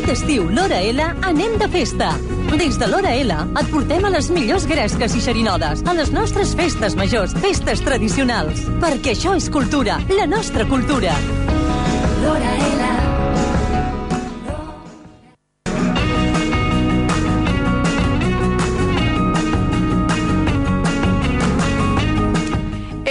Aquest estiu, l'Hora L, anem de festa. Des de l'Hora L et portem a les millors gresques i xerinodes, a les nostres festes majors, festes tradicionals. Perquè això és cultura, la nostra cultura. L'Hora L.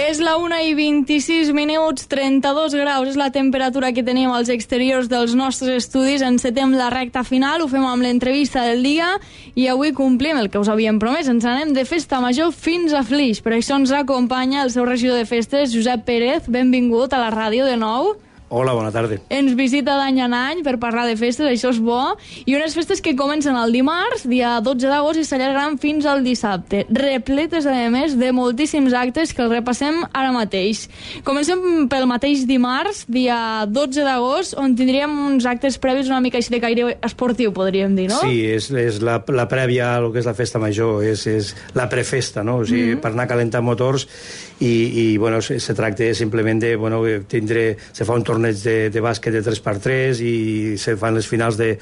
És la 1:26, 32 graus és la temperatura que tenim als exteriors dels nostres estudis. Encetem la recta final, ho fem amb l'entrevista del dia i avui complim el que us havíem promès. Ens anem de festa major fins a Flix. Per això ens acompanya el seu regidor de festes, Josep Pérez. Benvingut a la ràdio de nou. Hola, bona tarda. Ens visita d'any en any per parlar de festes, això és bo. I unes festes que comencen el dimarts, dia 12 d'agost, i s'allargaran fins al dissabte. Repletes, a més, de moltíssims actes que els repassem ara mateix. Comencem pel mateix dimarts, dia 12 d'agost, on tindríem uns actes previs una mica així de caire esportiu, podríem dir, no? Sí, és la prèvia al que és la festa major, és la prefesta, no? O sigui, per anar calentant motors i bueno, se tracta simplement de, bueno, se fa un torneig de bàsquet de 3x3 i se fan les finals de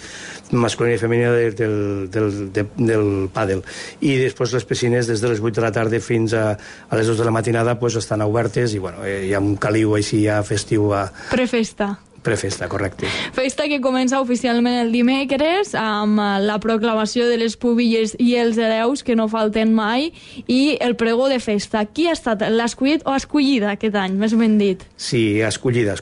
masculina i femenina del pàdel. I després les piscines des de les 8 de la tarda fins a les 2 de la matinada pues, estan obertes i bueno, hi ha un caliu així ja festiu. Prefesta. Prefesta, correcte. Festa que comença oficialment el dimecres amb la proclamació de les pubilles i els hereus, que no falten mai, i el pregó de festa. Qui ha estat l'escollit o escollida aquest any, més ben dit? Sí, escollida.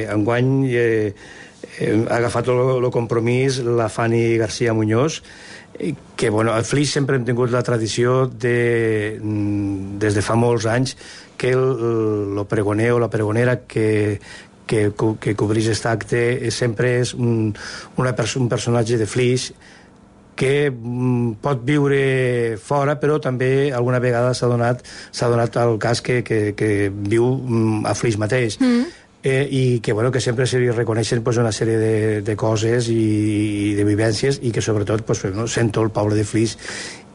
Enguany ha agafat el compromís la Fanny García Muñoz, que bueno, al Flix sempre hem tingut la tradició des de fa molts anys que el pregoner o la pregonera que cobrís aquest acte sempre és un personatge de Flix que pot viure fora, però també alguna vegada s'ha donat el cas que viu a Flix mateix. I que, bueno, que sempre se li reconeixen pues, una sèrie de coses i de vivències i que sobretot pues, no, sento el poble de Flix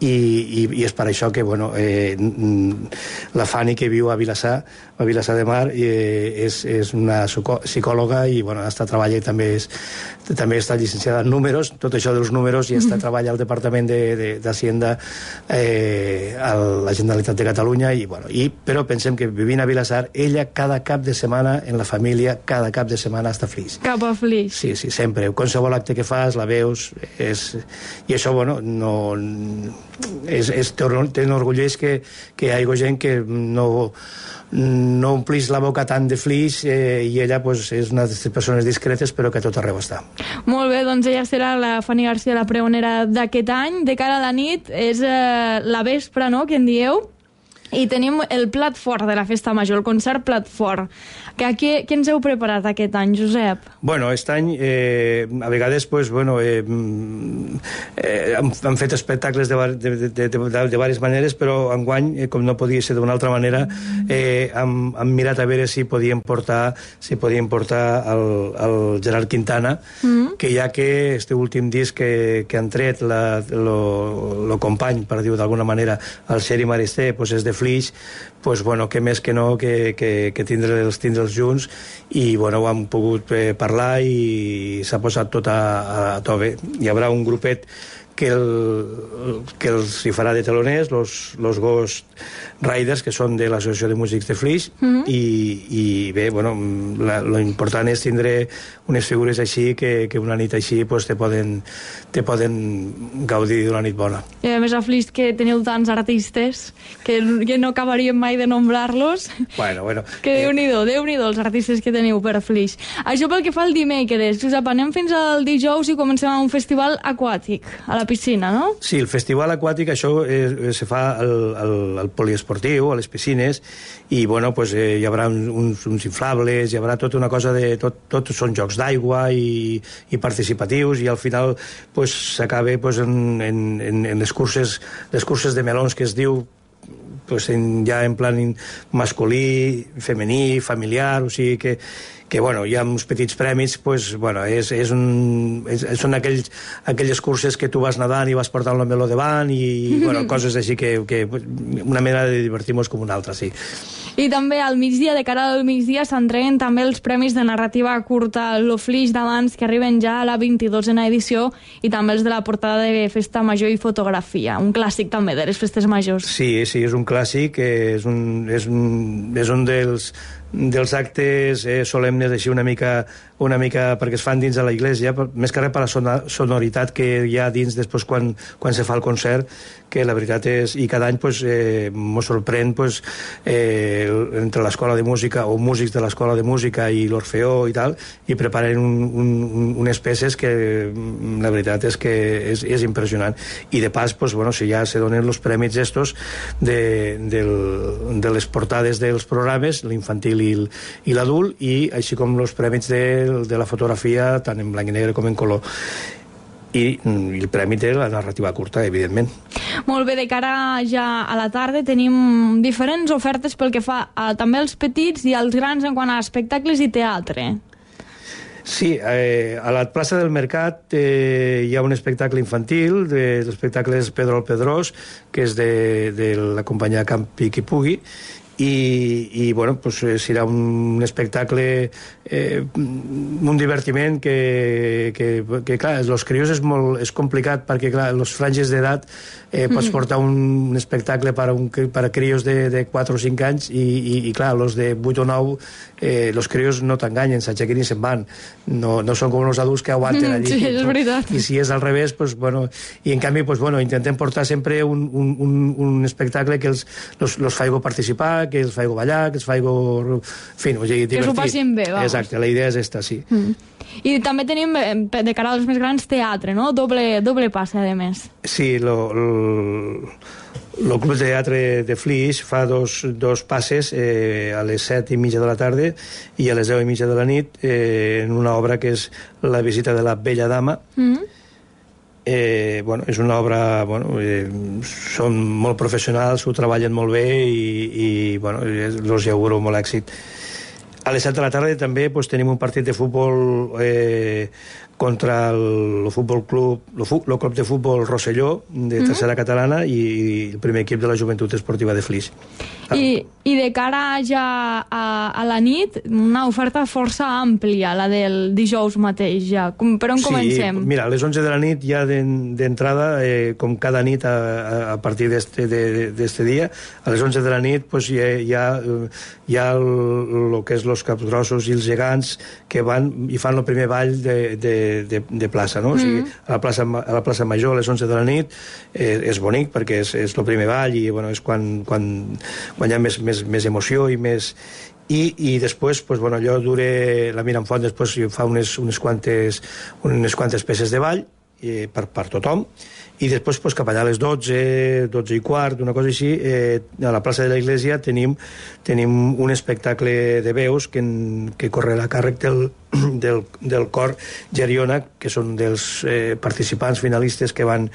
i és per això que bueno, la Fanny que viu a Vilassar de Mar és una psicòloga i bueno, treballa i també està llicenciada en números, tot això dels números, i treballa al Departament d'Hacienda a la Generalitat de Catalunya però pensem que vivint a Vilassar ella cada cap de setmana en la família, cada cap de setmana està a Flix. Cap a Flix. Sí, sempre. Qualsevol acte que fas la veus i això, bueno, t'enorgulleix que hi hagi gent que no omplís la boca tant de Flix i ella pues, és una de les persones discretes però que a tot arreu està. Molt bé, doncs ella serà la Fanny García, la pregonera d'aquest any. De cara a la nit és la vespra, no?, que en dieu, i tenim el plat fort de la festa major, el concert plat fort. Què ens heu preparat aquest any, Josep? Bueno, aquest any, a vegades, pues, bueno, han fet espectacles de diverses maneres, però enguany, com no podia ser d'una altra manera, hem mirat a veure si podien portar el Gerard Quintana, que ja que este últim disc que han tret el company, per dir-ho d'alguna manera, el Xeri Maristé, pues, és de Flix, pues, bueno, que més que no que tindre'ls junts i bueno, ho hem pogut parlar i s'ha posat tot a to bé. Hi haurà un grupet que els hi farà de teloners, los Ghost Riders, que són de l'Associació de Músics de Flix, i bé, bueno, lo important és tindre unes figures així que una nit així pues, te poden gaudir d'una nit bona. I a més a Flix que teniu tants artistes que no acabaríem mai de nombrar-los. Bueno. Que Déu-n'hi-do els artistes que teniu per Flix. Això pel que fa al dimecres. Josep, anem fins al dijous i comencem amb un festival aquàtic a la piscina, no? Sí, el festival aquàtic, això se fa al poliesportiu, a les piscines, i bueno, pues, hi haurà uns inflables, hi haurà tota una cosa de... Tot són jocs d'aigua i participatius, i al final pues, s'acaba pues, en les curses de melons que es diu pues, ja en plan masculí, femení, familiar, o sigui que bueno, hi ha uns petits premis, pues, bueno, són aquelles curses que tu vas nedant i vas portant el meló davant i bueno, coses així que una manera de divertir-nos com una altra, sí. I també al migdia, de cara al migdia, s'entreguen també els premis de narrativa curta Lo Flix d'abans, que arriben ja a la 22a edició, i també els de la portada de Festa Major i Fotografia, un clàssic també de les festes majors. Sí, és un clàssic, és un dels actes solemnes així una mica perquè es fan dins de la iglesia, més que res per la sonoritat que hi ha dins després quan se fa el concert, que la veritat és, i cada any mos sorprèn entre l'escola de música o músics de l'escola de música i l'Orfeó i tal, i preparen unes peces que la veritat és que és impressionant. I de pas, si ja se donen els prèmits estos de les portades dels programes, l'infantil i l'adult, i així com els prèmits de la fotografia, tant en blanc i negre com en color. I el premi de la narrativa curta, evidentment. Molt bé, de cara ja a la tarda tenim diferents ofertes pel que fa també als petits i als grans en quant a espectacles i teatre. Sí, a la plaça del Mercat hi ha un espectacle infantil, l'espectacle és Pedro el Pedrós, que és de la companyia Campi Qui Pugui, i serà un espectacle, un divertiment que clar, els crios és complicat perquè clar, els franges d'edat pots portar un espectacle per a crios de 4 o 5 anys i clar, els de 8 o 9 els crios no t'enganyen, s'aixequen i se'n van, no són com els adults que aguanten allí. Sí, és veritat. I si és al revés, i en canvi intentem portar sempre un espectacle que els faigo participar, que els faigo ballar, que els faigo divertir. Que s'ho passin bé, vamos. Exacte, la idea és esta, sí. I també tenim, de cara als més grans, teatre, no? Doble passe, a més. Sí, el Club de Teatre de Flix fa dos passes a les 7:30 de la tarda i a les 10:30 de la nit en una obra que és La visita de la bella dama. És una obra, són molt professionals, ho treballen molt bé i els auguro molt èxit. A les 7 de la tarda també tenim un partit de futbol contra el club de futbol Rosselló, de tercera catalana, i el primer equip de la Joventut Esportiva de Flix. I de cara ja a la nit, una oferta força àmplia, la del dijous mateix, ja. Per on comencem? Sí, mira, a les 11 de la nit ja d'entrada, com cada nit a partir d'este dia, a les 11 de la nit hi ha el que és els capgrossos i els gegants que van i fan el primer ball de plaça, no? O sigui, a la plaça Major a les 11 de la nit és bonic perquè és el primer ball i és quan hi ha més emoció i més... I després, allò dura... La Miramfont després fa unes quantes peces de ball per tothom, i després cap allà a les 12:15, una cosa així, a la plaça de l'Església tenim un espectacle de veus que correrà a càrrec del cor Geriona, que són dels participants finalistes que van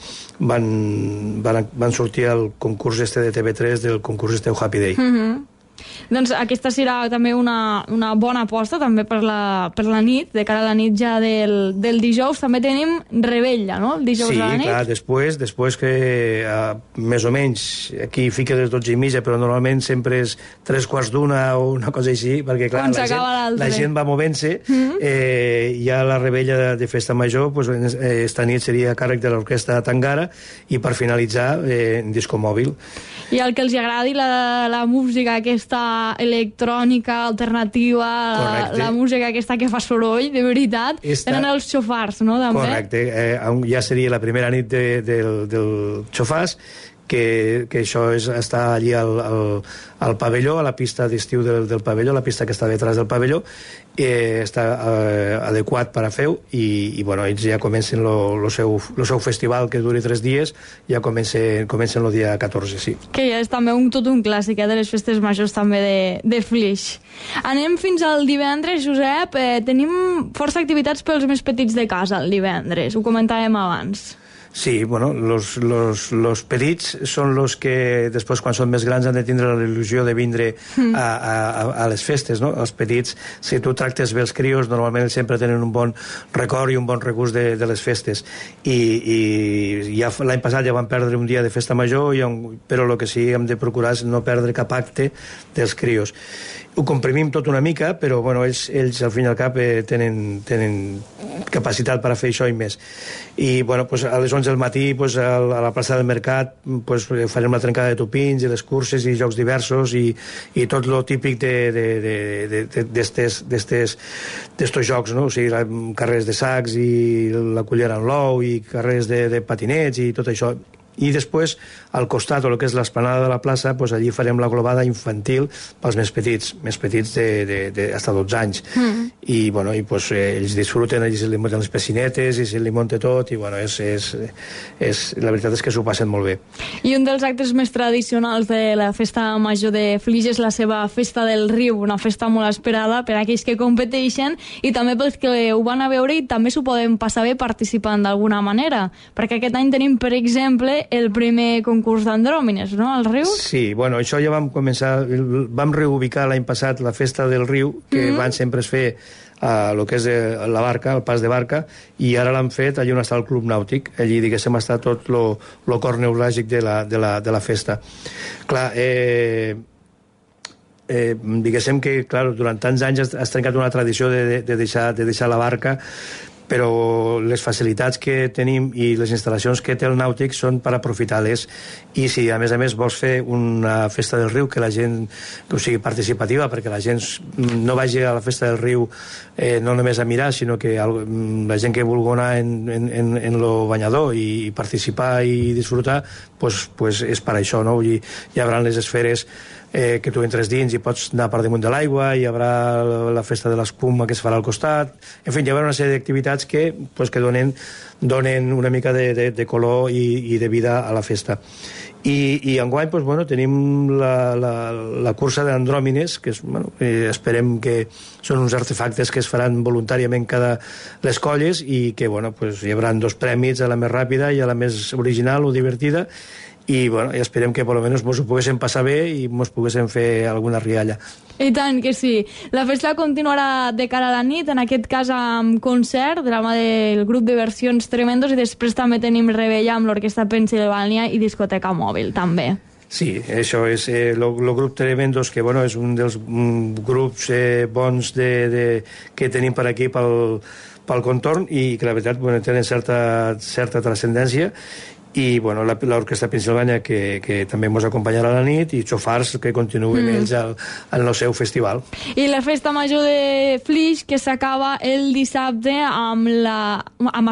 sortir al concurs de TV3, del concurs Happy Day. Doncs aquesta serà també una bona aposta també per la nit, de cara a la nit ja del dijous. També tenim Rebella, no?, el dijous a la nit. Sí, clar, després que més o menys aquí fica les 12:30, però normalment sempre és 3:15 o una cosa així, perquè clar, la gent va movent-se. Hi ha la Rebella de Festa Major, esta nit seria a càrrec de l'Orquestra Tangara, i per finalitzar en disco mòbil. I el que els agradi la música aquesta electrònica, alternativa, la música aquesta que fa soroll, de veritat, tenen els xofars, no?, també? Correcte, ja seria la primera nit del xofars, que això està allí al pavelló, a la pista d'estiu del pavelló, la pista que està detrás del pavelló, està adequat per a fer-ho, i ells ja comencen el seu festival, que duri 3 dies, ja comencen el dia 14, sí. Que ja és també tot un clàssic de les festes majors també de Flix. Anem fins al divendres, Josep. Tenim força activitats pels més petits de casa el divendres, ho comentàvem abans. Sí, bueno, los petits són els que després, quan són més grans, han de tindre la il·lusió de vindre a les festes, no? Els petits, si tu tractes bé els crios, normalment sempre tenen un bon record i un bon regust de les festes. I ja l'any passat ja van perdre un dia de festa major, però el que sí hem de procurar és no perdre cap acte dels crios. Ho comprimim tot una mica, però bueno, ells al fin i al cap tenen capacitat per a fer això i més. I bueno, pues, a les 11 del matí pues, a la plaça del Mercat pues, farem la trencada de topins i les curses i jocs diversos i tot lo típic d'estos jocs, no? O sigui, carrers de sacs i la cullera en l'ou i carrers de patinets i tot això. I després, al costat, o el que és l'esplanada de la plaça, doncs allí farem la globada infantil pels més petits hasta 12 anys. I, bueno, pues, ells disfruten, ells li munten les piscinetes i se li munta tot, i, bueno, la veritat és que s'ho passen molt bé. I un dels actes més tradicionals de la festa major de Flix és la seva festa del riu, una festa molt esperada per a aquells que competeixen i també pels que ho van a veure i també s'ho poden passar bé participant d'alguna manera, perquè aquest any tenim, per exemple, el primer concurs d'andròmines, no?, al riu? Sí, bueno, això ja vam començar, vam reubicar l'any passat la festa del riu, que van sempre es fer a lo que és la barca, el pas de barca, i ara l'han fet allà on està el Club Nàutic. Allí, diguéssim, està tot lo cor neuràgic de la festa. Clar, diguéssim que, clar, durant tants anys has trencat una tradició de deixar la barca, però les facilitats que tenim i les instal·lacions que té el nàutic són per aprofitar-les, i si a més vols fer una festa del riu que la gent, que sigui participativa, perquè la gent no vagi a la festa del riu no només a mirar, sinó que la gent que vulgui anar en lo banyador i participar i disfrutar, pues és per això, no? Hi haurà les esferes que tu entres dins i pots anar per damunt de l'aigua, hi haurà la festa de l'espuma que es farà al costat, en fi, hi haurà una sèrie d'activitats que donen una mica de color i de vida a la festa. I enguany tenim la cursa d'andròmines, que esperem que són uns artefactes que es faran voluntàriament cada les colles i que hi haurà 2 premis, a la més ràpida i a la més original o divertida, i esperem que per almenys ens ho poguéssim passar bé i ens poguéssim fer alguna rialla. I tant que sí. La festa continuarà de cara a la nit, en aquest cas amb concert de la mà del grup de versions Tremendos, i després també tenim revetlla amb l'Orquestra Pensilvània i discoteca mòbil, també. Sí, això és el grup Tremendos, que és un dels grups bons que tenim per aquí pel contorn i que la veritat tenen certa transcendència. I l'Orquestra Pensilvània que també ens acompanyarà a la nit, i xofars que continuen ells al el seu festival. I la festa major de Flix, que s'acaba el dissabte amb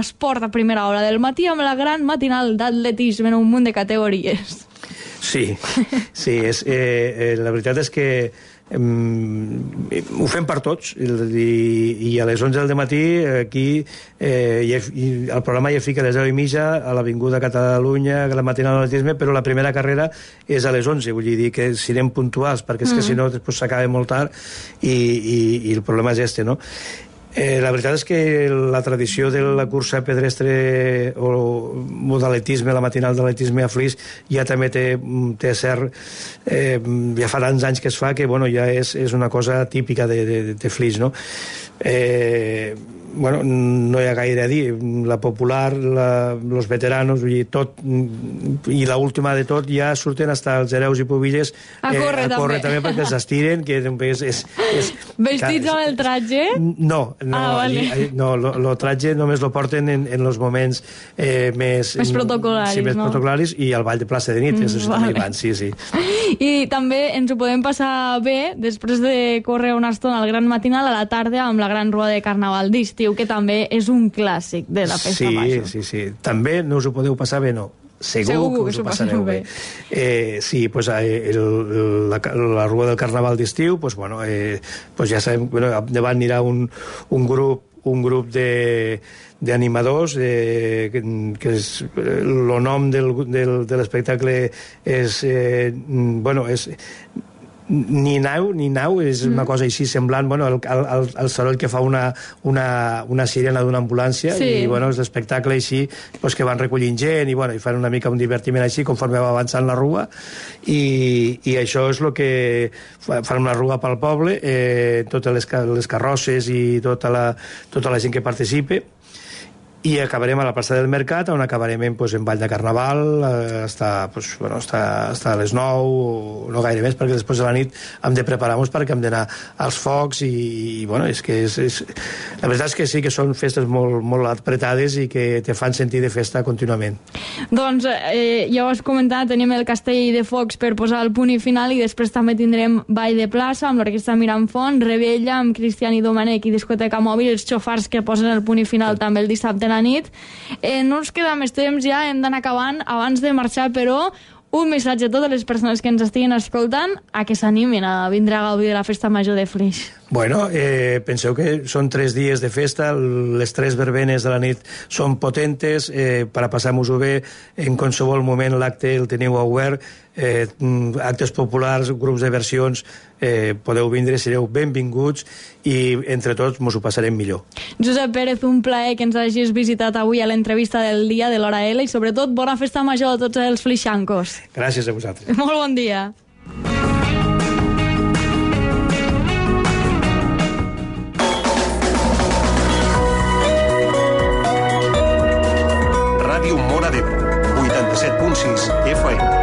esport a primera hora del matí, amb la gran matinal d'atletisme en un munt de categories. Sí, la veritat és que ho fem per tots, i a les 11 del matí aquí el programa ja fica a les 10:30 a l'Avinguda Catalunya, la matinal d'atletisme, però la primera carrera és a les 11, vull dir que si anem puntuals, perquè és que si no després s'acaba molt tard i el problema és no? La veritat és que la tradició de la cursa pedestre o d'atletisme, la matinal d'atletisme a Flix, ja també té cert... ja fa tants anys que es fa que ja és una cosa típica de Flix, no? No hi ha gaire a dir. La popular, els veteranos, tot, i l'última de tot, ja surten fins als hereus i pubilles a córrer també perquè s'estiren, que és... Vestits amb el traje? No, el traje només lo porten en els moments més protocolaris, més protocolaris, i al ball de plaça de nit, també hi van, sí. I també ens ho podem passar bé després de córrer una estona al gran matinal, a la tarda amb la gran rua de carnaval d'estiu, que també és un clàssic de la festa major. Sí. També no us ho podeu passar bé, no. Segur que us ho passareu bé. Sí, la rua del carnaval d'estiu, ja sabem, davant anirà un grup d'animadors, que el nom de l'espectacle és ni nau, és una cosa així semblant, bueno, el soroll que fa una sirena d'una ambulància, i bueno, és l'espectacle així, pues, que van recollint gent, i bueno, i fan una mica un divertiment així conforme va avançant la rua, i això és el que fan una rua pel poble, totes les carrosses i tota la gent que participa, i acabarem a la plaça del Mercat, on acabarem en Vall de Carnaval, hasta les 9, no gaire més, perquè després de la nit hem de preparar-nos perquè hem d'anar als focs, i bueno, és que la veritat és que sí que són festes molt apretades i que te fan sentir de festa contínuament. Doncs ja ho has comentat, tenim el Castell de Focs per posar el punt i final, i després també tindrem Ball de Plaça amb l'Orquestra Miramfont, Rebella amb Cristian i Domènech i Discoteca Mòbil, els xofars que posen el punt i final també el dissabte a la nit. No ens queda més temps ja, hem d'anar acabant. Abans de marxar, però, un missatge a totes les persones que ens estiguin escoltant a que s'animin a vindre a gaudir de la Festa Major de Flix. Bueno, penseu que són 3 dies de festa, les 3 verbenes de la nit són potentes, per a passar-nos-ho bé, en qualsevol moment l'acte el teniu obert, actes populars, grups de versions, podeu vindre, sereu benvinguts, i entre tots mos ho passarem millor. Josep Pérez, un plaer que ens hagis visitat avui a l'entrevista del dia de l'Hora L, i sobretot bona Festa Major a tots els flixancos. Gràcies a vosaltres. Molt bon dia. Ràdio Móra d'Ebre, 87.6 FM.